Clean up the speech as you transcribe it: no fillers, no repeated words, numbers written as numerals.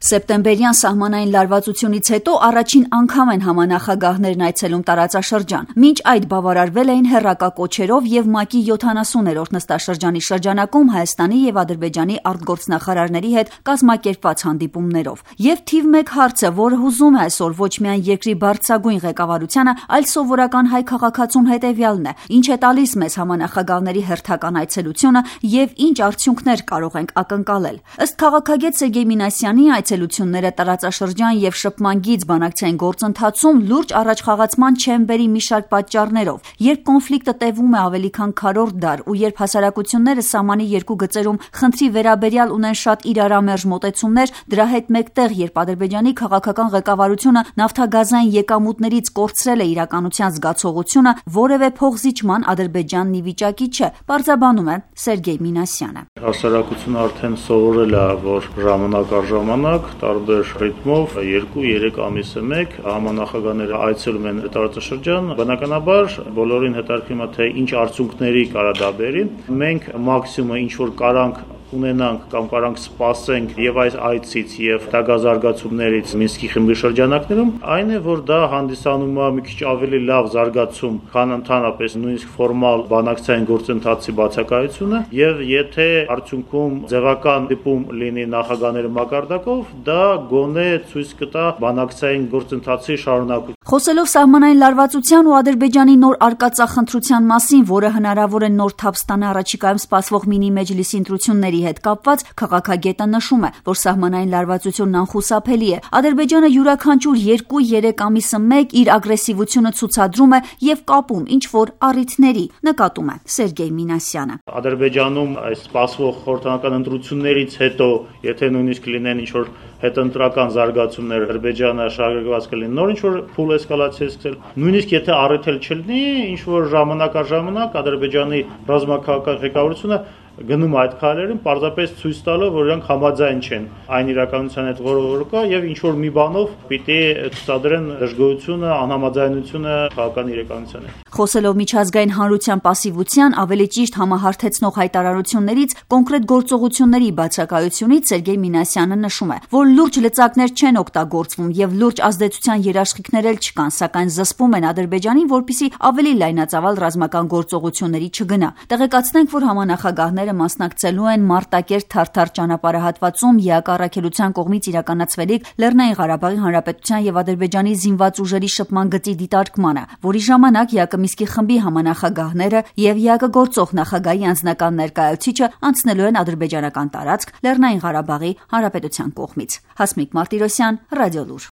Սեպտեմբերյան սահմանային լարվածությունից հետո առաջին անգամ են համանախագահներն այցելում տարածաշրջան։ Մինչ այդ բավարարվել էին հեռակա կոչերով եւ ՄԱԿ-ի 70-րդ նստաշրջանի շրջանակում Հայաստանի եւ Ադրբեջանի արտգործնախարարների հետ կազմակերպված հանդիպումներով։ Եվ թիվ 1 հարցը, որը հուզում է այսօր ոչ միայն երկրի բարձրագույն ղեկավարությանը, այլ սովորական հայ քաղաքացուն հետեւյալն է. ինչ է տալիս մեզ համանախագահների հերթական այցելությունը եւ ինչ արդյունքներ կարող ենք ակնկալել։ Ըստ քաղաքագետ Սերգեյ Մինասյանի այցելությունները տարածաշրջան եւ շփման գիծ բանակցային գործընթացում լուրջ առաջխաղացման չեն բերի մի շարք պատճառներով։ Երբ կոնֆլիկտը տևում է ավելի քան քառորդ դար ու երբ հասարակությունները սահմանի երկու գծերում խնդրի վերաբերյալ ունեն շատ իրարամերժ մոտեցումներ, դրա հետ մեկտեղ երբ Ադրբեջանի քաղաքական ղեկավարությունը նավթագազային եկամուտներից կորցրել է իրականության զգացողությունը, որևէ փոխզիջման Ադրբեջանն ի վիճակի չէ, պարզաբանում է Սերգեյ Մինասյանը։ Հասարակությունը արդեն սովորել է, որ ժամանակ առ ժամանակ տարբեր ռիթմով 2-3 ամիսը մեկ համանախագահները այցելում են տարածաշրջան։ Բնականաբար բոլորին հետաքրքրում է, թե ինչ արդյունքների կարա դա բերի։ Մենք մաքսիմումը ինչ որ կարանք ունենանք կամ կարանք սպասենք եւ այս այցից եւ դագազարգացումներից Մինսկի խմբի շրջանակներում, այն է, որ դա հանդիսանում է մի քիչ ավելի լավ զարգացում, քան ընդհանրապես նույնիսկ ֆորմալ բանակցային գործընթացի բացակայությունը, եւ եթե արդյունքում ձևական դիպում լինի նախագահների մակարդակով, դա գոնե ցույց կտա բանակցային գործընթացի շարունակություն։ Խոսելով սահմանային լարվածության ու Ադրբեջանի նոր արկածախնդրության մասին, որը հնարավոր է նոր թափ ստանա առաջիկայում սպասվող մինի մեջլիսի ընտրությունների հետ կապված, քաղաքագետը նշում է, որ սահմանային լարվածությունն անխուսափելի է։ Ադրբեջանը յուրաքանչյուր 2-3 ամիսը մեկ իր ագրեսիվությունը ցուցադրում է եւ կապում ինչ որ առիթների, նկատում է Սերգեյ Մինասյանը։ Ադրբեջանում այս սպասվող խորհրդանական ընտրություններից հետո, եթե նույնիսկ լինեն ինչ որ հետընտրական զարգացումներ, Ադրբեջանը շարունակված կլինի նոր ինչ որ փուլ էսկալացիա սկսել։ Նույնիսկ եթե առիթ չլինի, ինչ որ ժամանակ առ ժամանակ Ադրբեջանի ռազմաքաղաքական ղեկավարությունը գնում այդ քայլերին, պարզապես ցույց տալով, որ իրանք համաձայն չեն այն իրականության հետ, որը կա, եւ ինչ որ մի բանով պիտի ցուցադրեն դժգոհությունը, անհամաձայնությունը քաղաքական իրականության հետ։ Խոսելով միջազգային հանրության պասիվության, ավելի ճիշտ համահարթեցնող հայտարարություններից, կոնկրետ գործողությունների բացակայությունից Սերգեյ Մինասյանը նշում է, որ լուրջ լծակներ չեն օգտագործվում եւ լուրջ ազդեցության երաշխիքներ էլ չկան, սակայն զսպում են Ադրբեջանին, որպեսզի ավելի լայնածավալ ռազմական գործողությունների չգնա։ Տեղեկացնենք, որ համանախագահները մասնակցելու են Մարտակերտ Թարթար ճանապարհահատվածում ԵԱԿ առաքելության կողմից իրականացվելիք Լեռնային Ղարաբաղի Հանրապետության եւ Ադրբեջանի զինված ուժերի շփման գծի դիտարկմանը, որի ժամանակ ԵԱԿ Մինսկի խմբի համանախագահները եւ ԵԱԿ գործող նախագահի անձնական ներկայացուցիչը անցնելու են ադրբեջանական տարածք Լեռնային Ղարաբաղի Հանրապետության կողմից։ Հասմիկ Մարտիրոսյան, Ռադիոլուր։